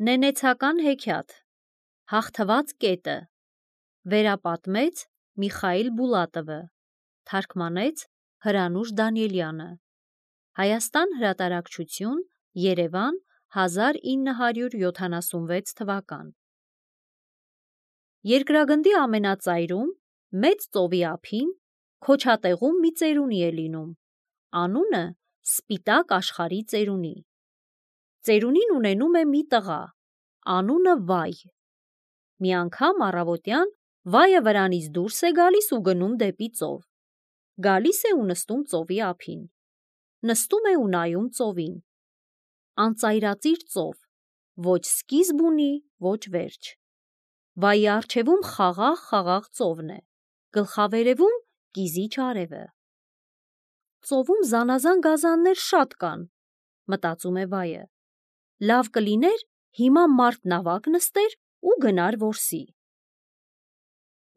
Նենեցական հեքիաթ Հաղթված կետը Վերապատմեց Միխայիլ Բուլատովը Թարգմանեց Հրանուշ Դանիելյանը Հայաստան հրատարակչություն Երևան 1976 թվական Երկրագնդի ամենածայրում մեծ ծովի ափին քոչատեղում մի ծերունի է լինում, անունը Սպիտակ աշխարհի ծերունի։ Ծերունին ունենում է մի տղա, անունը Վայ։ Մի անգամ առավոտյան Վայը վրանից դուրս է գալիս ու գնում դեպի ծով։ Գալիս է ու նստում ծովի ափին։ Նստում է ու նայում ծովին։ Անծայրածիր ծով, ոչ սկիզբ ունի, ոչ վերջ։ Վայի առջևում խաղաղ ծովն է, գլխավերևում կիզիչ արևը։ Ծովում զանազան գազաններ շատ կան, մտածում է Վայը։ Լավ կլիներ հիմա մարդ նավակ նստեր ու գնար որսի։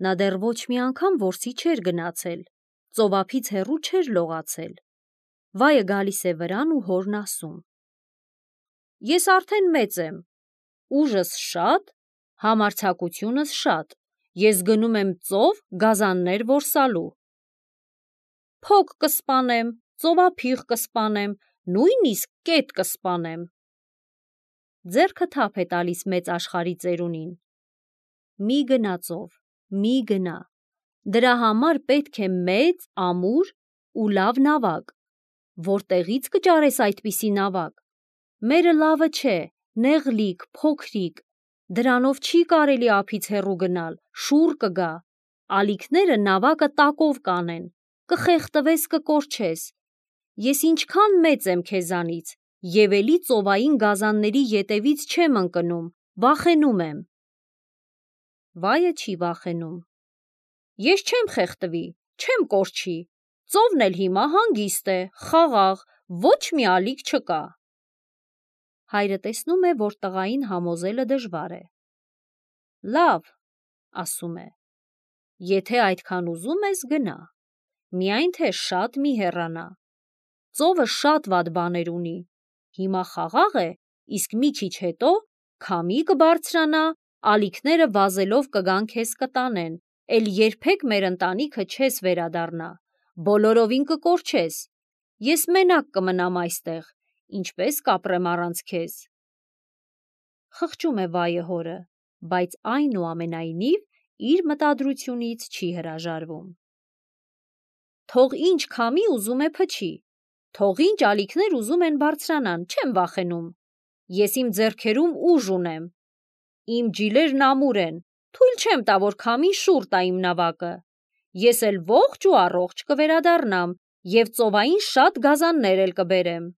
Նա դեռ ոչ մի անգամ որսի չէր գնացել, ծովափից հեռու չէր լողացել։ Վայը գալիս է վրան ու հորն ասում. Ես արդեն մեծ եմ, ուժս շատ, համարձակությունս շատ, ես գնում եմ ծով գազաններ որսալու։ Փոք կսպանեմ, ծովափիղ կսպանեմ, նույնիսկ կետ կսպանեմ։ Ձեռքը թափ է տալիս մեծ աշխարհի ծերունին։ Մի գնա ծով, մի գնա, դրա համար պետք է մեծ, ամուր ու լավ նավակ։ Որտեղից կճարես այդպիսի նավակ։ Մերը լավը չէ, նեղլիկ, փոքրիկ, դրանով չի կարելի ափից հեռու գնալ, շուռ կգա, ալիքները նավակը տակով կանեն, կխեղդվես, կկորչես։ Ես ինչքան մեծ եմ քեզանից, և էլի ծովային գազանների ետևից չեմ ընկնում, վախենում եմ։ Վայը չի վախենում։ Ես չեմ խեղդվի, չեմ կորչի, ծովն էլ հիմա հանգիստ է, խաղաղ, ոչ մի ալիք չկա։ Հայրը տեսնում է, որ տղային համոզելը դժվար է։ Լավ, ասում է, եթե այդքան ուզում ես գնա, միայն թե շատ մի հեռանա։ Ծովը շատ վատ բաներ ունի, հիմա խաղաղ է, իսկ մի քիչ հետո քամի կբարձրանա, ալիքները վազելով կգան քեզ կտանեն, էլ երբեք մեր ընտանիքը չես վերադառնա, բոլորովին կկորչես, ես մենակ կմնամ այստեղ, ինչպես կապրեմ առանց քեզ։ Խղճում է Վայը հորը, բայց այնուամենայնիվ իր մտադրությունից չի հրաժարվում։ Թող ինչ քամի ուզում է փչի, թող ինչ ալիքներ ուզում են բարձրանան, չեմ վախենում, ես իմ ձեռքերում ուժ ունեմ, իմ ջիլերն ամուր են, թույլ չեմ տա, որ քամին շուռ տա իմ նավակը, ես էլ ողջ ու առողջ կվերադառնամ և ծովային շատ գազաններ էլ կբերեմ։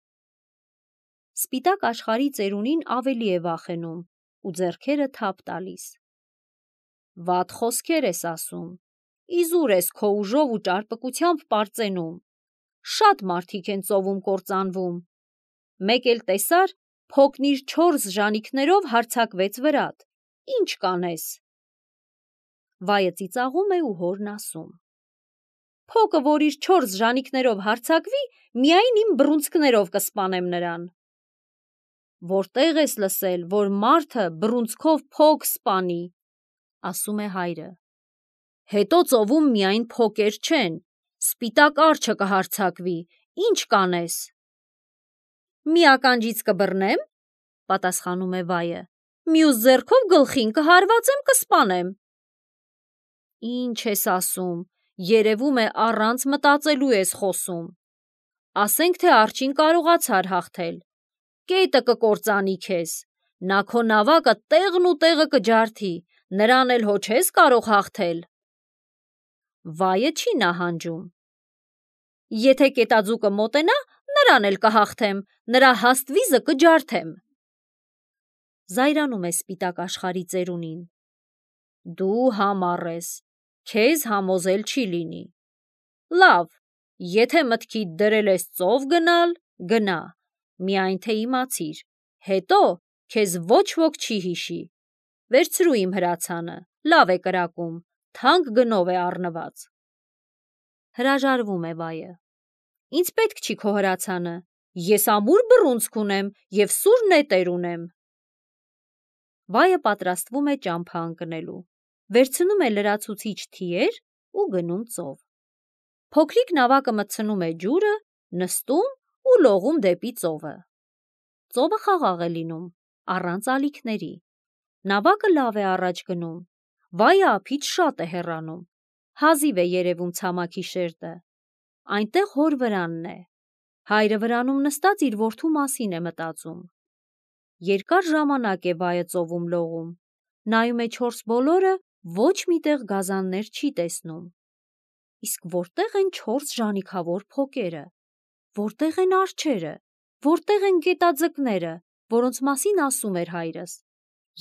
Սպիտակ աշխարհի ծերունին ավելի է վախենում ու ձեռքերը թափ տալիս։ Վատ խոսքեր ես ասում, իզուր ես քո ուժով ու ճարպկությամբ պարծենում, շատ մարդիկ են ծովում կործանվում, մեկ էլ տեսար, փոքն իր 4 ժանիքներով հարձակվեց վրատ, ինչ կանես։ Վայը ծիծաղում է ու հորն ասում. Փոքը, որ իր 4 ժանիքներով հարձակվի, միայն իմ բռունցքներով կսպանեմ նրան։ Որտեղ ես լսել, որ մարդը բռունցքով փոք սպանի, ասում է հայրը։ Հետո ծովում միայն փոքեր չեն, սպիտակ արջը կհարձակվի, ինչ կանես։ Մի ականջից կբռնեմ, պատասխանում է Վայը, մյուս ձեռքով գլխին կհարվածեմ, կսպանեմ։ Ինչ ես ասում, երևում է առանց մտածելու ես խոսում։ Ասենք թե արջին կարողացար հաղթել, կետը կկործանի քեզ, նա քո նավակը տեղն ու տեղը կջարդի, նրան էլ հո չես կարող հաղթել։ Վայը չի նահանջում։ Եթե կետաձուկը մոտենա, նրան էլ կհաղթեմ, նրա հաստ վիզը կջարդեմ։ Զայրանում է սպիտակ աշխարհի ծերունին։ Դու համառ ես, քեզ համոզել չի լինի։ Լավ, եթե մտքիդ դրել ես ծով գնալ, գնա, միայն թե իմացիր, հետո քեզ ոչ ոք չի հիշի։ Վերցրու իմ հրացանը, լավ է կրակում, թանկ գնով է առնված։ Հրաժարվում է Վայը։ Ինձ պետք չի քո հրացանը, ես ամուր բռունցք ունեմ և սուր նետեր ունեմ։ Վայը պատրաստվում է ճամփա ընկնելու, վերցնում է լրացուցիչ թիեր ու գնում ծով։ Փոքրիկ նավակը մտցնում է ջուրը, նստում ու լողում դեպի ծովը։ Ծովը խաղաղ է լինում, առանց ալիքների։ Նավակը լավ է առաջ գնում, վայը ափից շատ է հեռանում, հազիվ է երևում ցամաքի շերտը։ Այնտեղ հոր վրանն է։ Հայրը վրանում նստած իր որդու մասին է մտածում։ Երկար ժամանակ է վայը ծովում լողում, նայում է չորս բոլորը, ոչ միտեղ գազաններ չի տեսնում։ Իսկ որտեղ են 4 ժանիքավոր փոկերը, որտեղ են արջերը, որտեղ են գետաձկները, որոնց մասին ասում էր հայրս։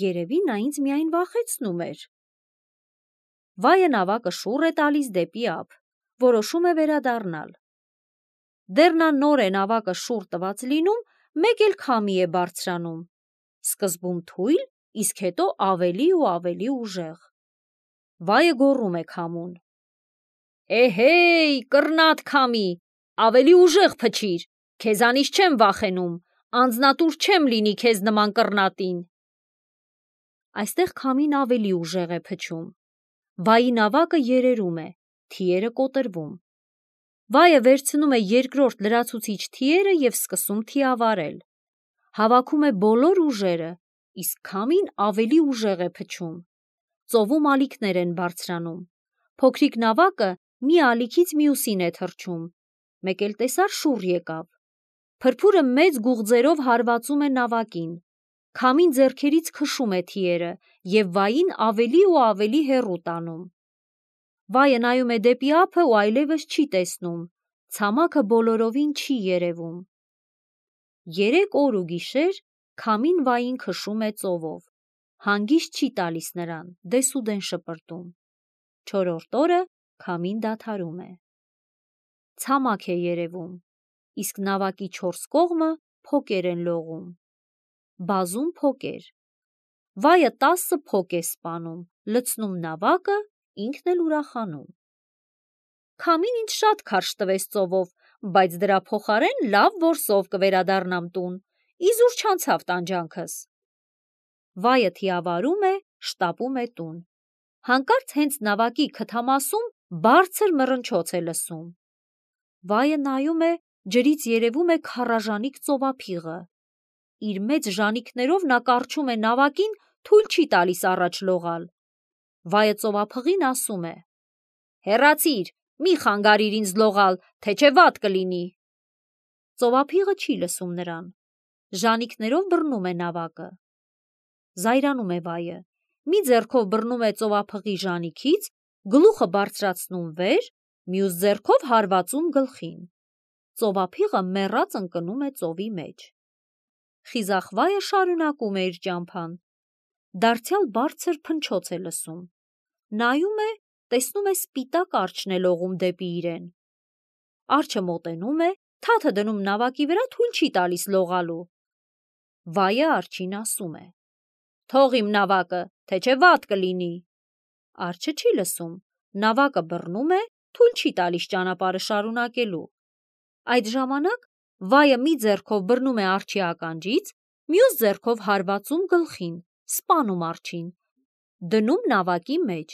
Երևի նա ինձ միայն վախեցնում էր։ Վայը նավակը շուռ է տալիս դեպի ափ, որոշում է վերադառնալ։ Դեռ նա նոր է նավակը շուռ տված լինում, մեկ էլ քամի է բարձրանում, սկզբում թույլ, իսկ հետո ավելի ու ավելի ուժեղ։ Վայը գոռում է քամուն. «Էհեյ, կռնատ քամի, ավելի ուժեղ փչիր, քեզանից չեմ վախենում, անձնատուր չեմ լինի քեզ նման կռնատին»։ Այստեղ քամին ավելի ուժեղ է փչում։ Վայի նավակը երերում է, թիերը կոտրվում։ Վայը վերցնում է երկրորդ լրացուցիչ թիերը և սկսում թիավարել։ Հավաքում է բոլոր ուժերը, իսկ քամին ավելի ուժեղ է փչում։ Ծովում ալիքներ են բարձրանում։ Փոքրիկ նավակը մի ալիքից մյուսին է թռչում։ Մեկ էլ տեսար շուռ եկավ։ Փրփուրը մեծ գուղձերով հարվածում է նավակին։ Քամին ձեռքերից քշում է թիերը և վային ավելի ու ավելի հեռու տանում։ Վայը նայում է դեպի ափը ու այլևս չի տեսնում, ցամաքը բոլորովին չի երևում։ 3 օր ու գիշեր քամին վային քշում է ծովով, հանգիստ չի տալիս նրան, դեսուդեն շպրտում։ 4-րդ օրը քամին դադարում է։ Ցամաք է երևում, իսկ նավակի 4 կողմը փոկեր են լողում։ Բազում փոկեր։ Վայը 10 փոկ է սպանում, լցնում նավակը, ինքն էլ ուրախանում։ Քամին ինձ շատ քարշ տվեց ծովով, բայց դրա փոխարեն լավ որսով կվերադառնամ տուն, իզուր չանցավ տանջանքս։ Վայը թիավարում է, շտապում է տուն։ Հանկարծ հենց նավակի քթամասում բարձր մռնչոց է լսում։ Վայը նայում է, ջրից երևում է քառաժանիկ ծովափիղը։ Իր մեծ ժանիքներով նա կառչում է նավակին, թույլ չի տալիս առաջ լողալ։ Վայը ծովափղին ասում է. «Հեռացիր, մի խանգարիր ինձ լողալ, թե չէ վատ կլինի»։ Ծովափիղը չի լսում նրան։ Ժանիքներով բռնում է նավակը։ Զայրանում է վայը, մի ձեռքով բռնում է ծովափղի ժանիքից, գլուխը բարձրացնում վեր, մյուս ձեռքով հարվածում գլխին։ Ծովափիղը մեռած ընկնում է ծովի մեջ։ Խիզախ վայը շարունակում է իր ճամփան։ Դարձյալ բարձր փնչոց է լսում։ Նայում է, տեսնում է սպիտակ արջն է լողում դեպի իրեն։ Արջը մոտենում է, թաթը դնում նավակի վրա, թույլ չի տալիս լողալու։ Վայը արջին ասում է. «Թող իմ նավակը, թե չէ վատ կլինի»։ Արջը չի լսում, նավակը բռնում է, թույլ չի տալիս ճանապարհը շարունակելու։ Այդ ժամանակ վայը մի ձեռքով բռնում է արջի ականջից, մյուս ձեռքով հարվածում գլխին, սպանում արջին, դնում նավակի մեջ։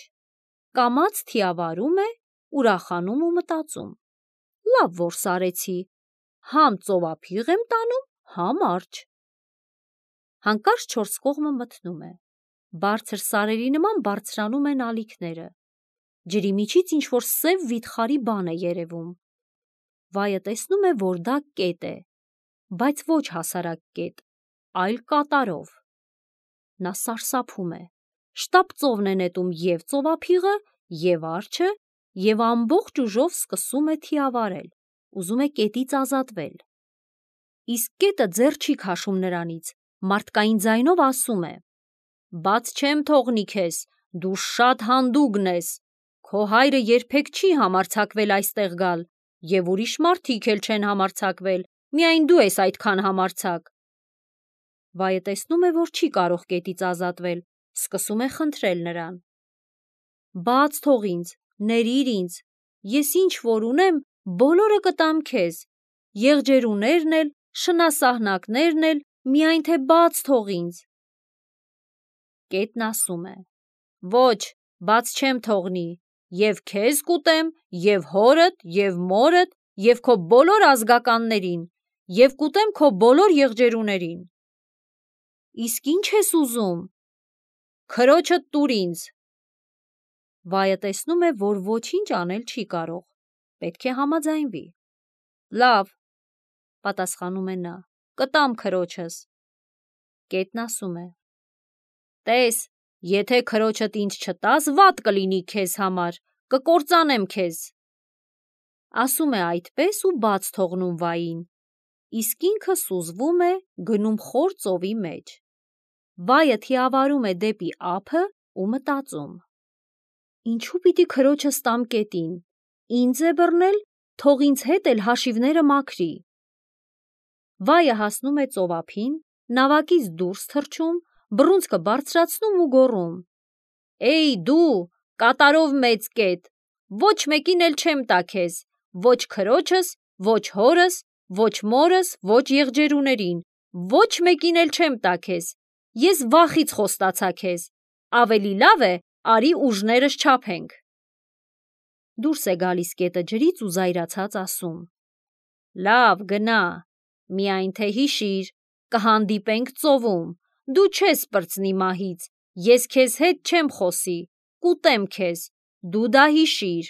Կամաց թիավարում է, ուրախանում ու մտածում. լավ որս արեցի, համ ծովափիղ եմ տանում, համ արջ։ Հանկարծ 4 կողմը մթնում է։ Բարձր սարերի նման բարձրանում են ալիքները։ Ջրի միջից ինչ-որ սև վիթխարի բան է երևում։ Վայը տեսնում է, որ դա կետ է, բայց ոչ հասարակ կետ, այլ կատարով։ Նա սարսափում է, շտապ ծովն է նետում և ծովափիղը, և արջը, և ամբողջ ուժով սկսում է թիավարել, ուզում է կետից ազատվել։ Իսկ կետը ձեռ չի քաշում նրանից, մարդկային ձայնով ասում է. «Բաց չեմ թողնի քեզ, դու շատ հանդուգն ես, քո հայրը երբեք չի համարձակվել այստեղ գալ, և ուրիշ մարդիկ էլ չեն համարձակվել, միայն դու ես այդքան համարձակ»։ Վայը տեսնում է, որ չի կարող կետից ազատվել, սկսում է խնդրել նրան. «Բաց թող ինձ, ներիր ինձ, ես ինչ որ ունեմ, բոլորը կտամ քեզ, եղջերուներն էլ, շնասահնակներն էլ, միայն թե բաց թող ինձ»։ Կետն ասում է. ոչ, բաց չեմ թողնի, և քեզ կուտեմ, և հորդ, և մորդ, և քո բոլոր ազգականներին, և կուտեմ քո բոլոր եղջերուներին։ Իսկ ինչ ես ուզում։ Քրոջդ տուր ինձ։ Վայը տեսնում է, որ ոչինչ անել չի կարող, պետք է համաձայնվի։ Լավ, պատասխանում է նա, կտամ քրոջս։ Կետն ասում է. տես, եթե քրոջդ ինձ չտաս, վատ կլինի քեզ համար, կկործանեմ քեզ։ Ասում է այդպես ու բաց թողնում վային, իսկ ինքը սուզվում է, գնում խոր ծովի մեջ։ Վայը թիավարում է դեպի ափը ու մտածում. ինչու պիտի քրոջս տամ կետին, ինձ է բռնել, թող ինձ հետ էլ հաշիվները մաքրի։ Վայը հասնում է ծովափին, նավակից դուրս թռչում, բռունցքը բարձրացնում ու գոռում. Էյ դու, կատարով մեծ կետ, ոչ մեկին էլ չեմ տա քեզ, ոչ քրոջս, ոչ հորս, ոչ մորս, ոչ եղջերուներին, ոչ մեկին էլ չեմ տա քեզ, ես վախից խոստացա քեզ, ավելի լավ է, արի ուժներս չափենք։ Դուրս է գալիս կետը ջրից ու զայրացած ասում. լավ, գնա, միայն թե հիշիր, կհանդիպենք ծովում, դու չես պրծնի մահից, ես քեզ հետ չեմ խոսի, կուտեմ քեզ, դու դա հիշիր։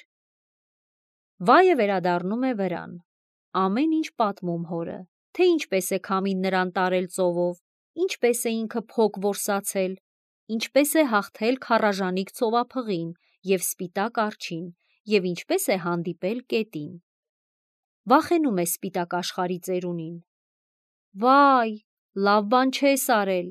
Վայը վերադառնում է վրան, ամեն ինչ պատմում հորը, թե ինչպես է քամին նրան տարել ծովով, ինչպես է ինքը փոք որսացել, ինչպես է հաղթել քարաժանիկ ծովափղին և սպիտակ արջին, և ինչպես է հանդիպել կետին։ Վախենում է սպիտակ աշխարհի ծերունին։ Վայ, լավ բան չես արել։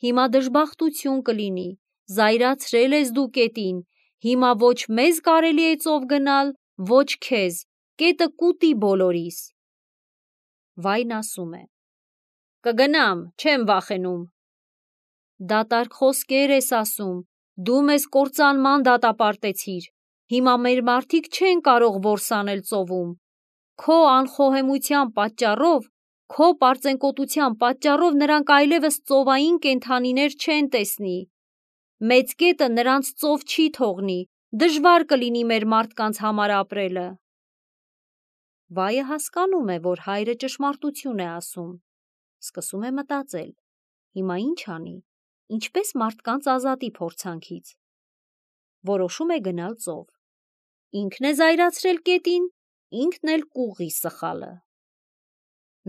Հիմա դժբախտություն կլինի, զայրացրել ես դու կետին, հիմա ոչ մեզ կարելի է ծով գնալ, ոչ քեզ, կետը կուտի բոլորիս։ Վայն ասում է. կգնամ, չեմ վախենում։ Դատարկ խոսքեր ես ասում, դու մեզ կործանման դատապարտեցիր, հիմա մեր մարդիկ չեն կարող որսանել ծովում, քո անխոհեմության պատճառով, քո պարծենկոտության պատճառով նրանք այլևս ծովային կենդանիներ չեն տեսնի։ Մեծ կետը նրանց ծով չի թողնի, դժվար կլինի մեր մարդկանց համար ապրելը։ Վայը հասկանում է, որ հայրը ճշմարտություն է ասում, սկսում է մտածել, հիմա ինչ անի, ինչպես մարդկանց ազատի փորձանքից։ Որոշում է գնալ ծով։ Ինքն է զայրացրել կետին, ինքն էլ կուղի սխալը։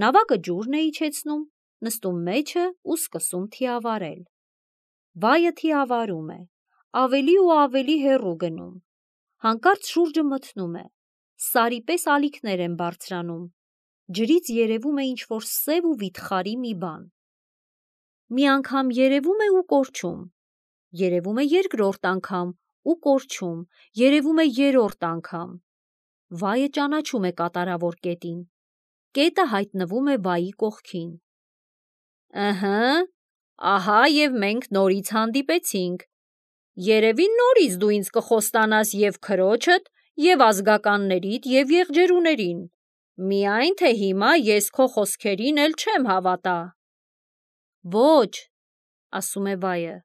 Նավակը ջուրն է իջեցնում, նստում մեջը ու սկսում թիավարել։ Վայը թիավարում է, ավելի ու ավելի հեռու գնում։ Հանկարծ շուրջը մթնում է, սարի պես ալիքներ են բարձրանում, ջրից երևում է ինչ-որ սև ու վիթխարի մի բան։ Մի անգամ երևում է ու կորչում, երևում է երկրորդ անգամ ու կորչում, երևում է երրորդ անգամ։ Վայը ճանաչում է կատարավոր կետին։ Կետը հայտնվում է վայի կողքին։ Ահա և մենք նորից հանդիպեցինք։ Երևի նորից դու ինձ կխոստանաս և քրոջդ, և ազգականներիդ, և եղջերուներին, միայն թե հիմա ես քո խոսքերին էլ չեմ հավատա։ Ոչ, ասում է վայը,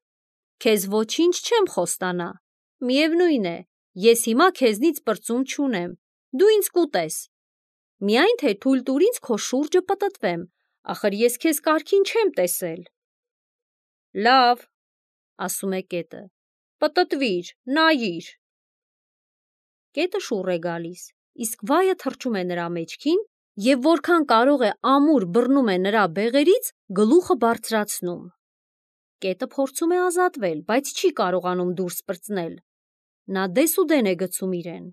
քեզ ոչինչ չեմ խոստանա, միևնույն է, ես հիմա քեզնից պրծում չունեմ, դու ինձ կուտես, միայն թե թույլ տուր ինձ քո շուրջը պտտվեմ, ախր ես քեզ կարգին չեմ տեսել։ Լավ, ասում է կետը, պտտվիր, նայիր։ Կետը շուռ է գալիս, իսկ վայը թռչում է նրա մեջքին և որքան կարող է ամուր բռնում է նրա բեղերից, գլուխը բարձրացնում։ Կետը փորձում է ազատվել, բայց չի կարողանում դուրս պրծնել։ Նա դեսուդեն է գցում իրեն։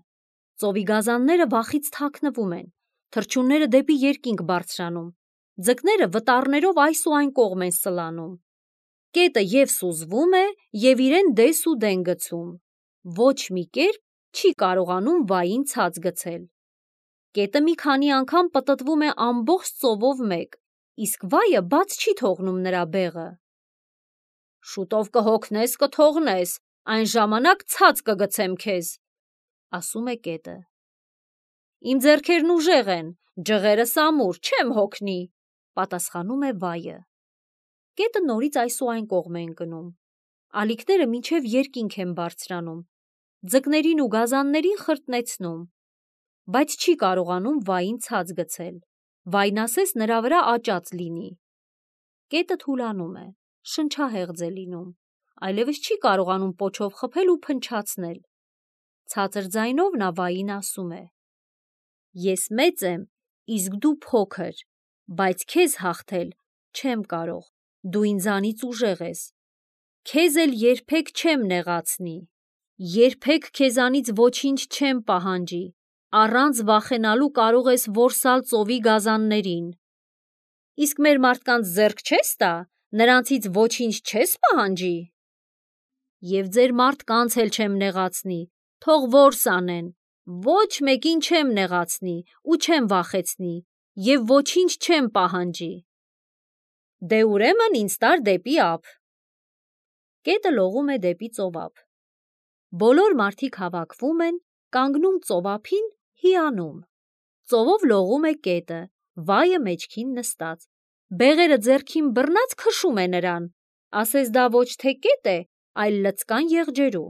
Ծովի գազանները վախից թաքնվում են, թռչունները դեպի երկինք բարձրանում, ձկները վտառներով այս ու այն կողմ են սլանում։ Կետը և սուզվում է, և իրեն դեսուդեն գցում։ Ոչ մի կերպ չի կարողանում վային ցած գցել։ Կետը մի քանի անգամ պտտվում է ամբողջ ծովով մեկ, իսկ վայը բաց չի թողնում նրա բեղը։ Շուտով կհոգնես, կթողնես, այն ժամանակ ցած կգցեմ քեզ, ասում է կետը։ Իմ ձեռքերն ուժեղ են, ջղերս ամուր, չեմ հոգնի, պատասխանում է վայը։ Կետը նորից այս ու այն կողմ է ընկնում, ալիքները մինչև երկինք են բարձրանում, ձկներին ու գազաններին խրտնեցնում, բայց չի կարողանում վային ցած գցել, վայն ասես նրա վրա աճած լինի։ Կետը թուլանում է, շնչահեղձ է լինում, այլևս չի կարողանում պոչով խփել ու փնչացնել։ Ցածր ձայնով նա վային ասում է. «Ես մեծ եմ, իսկ դու փոքր, բայց քեզ հաղթել չեմ կարող, դու ինձանից ուժեղ ես, քեզ էլ երբեք չեմ նեղացնի, երբեք քեզանից ոչինչ չեմ պահանջի, առանց վախենալու կարող ես որսալ ծովի գազաններին։ Իսկ մեր մարդկանց ձեռք չես տա, նրանցից ոչինչ չես պահանջի։ Եվ ձեր մարդկանց էլ չեմ նեղացնի, թող որս անեն, ոչ մեկին չեմ նեղացնի ու չեմ վախեցնի և ոչինչ չեմ պահանջի։ Դե ուրեմն ինձ տար դեպի ափ»։ Կետը լողում է դեպի ծովափ։ Բոլոր մարդիկ հավաքվում են, կանգնում ծովափին, հիանում։ Ծովով լողում է կետը, վայը մեջքին նստած, բեղերը ձեռքին բռնած քշում է նրան, ասես դա ոչ թե կետ է, այլ լցկան եղջերու։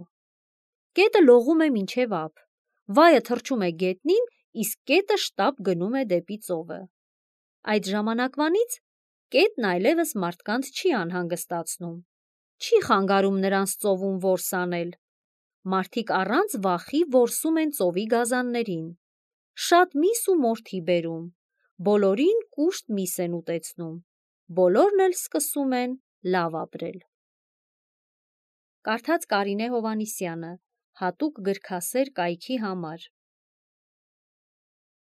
Կետը լողում է մինչև ափ, վայը թռչում է գետնին, իսկ կետը շտապ գնում է դեպի ծովը։ Այդ ժամանակվանից կետն այլևս մարդկանց չի անհանգստացնում, չի խանգարում նրանց ծովում որս անել։ Մարդիկ առանց վախի որսում են ծովի գազաններին, շատ միս ու մորթի բերում, բոլորին կուշտ միս են ուտեցնում, բոլորն էլ սկսում են լավ ապրել։ Կարդաց Կարինե Հովհաննիսյանը, հատուկ գրքասեր կայքի համար։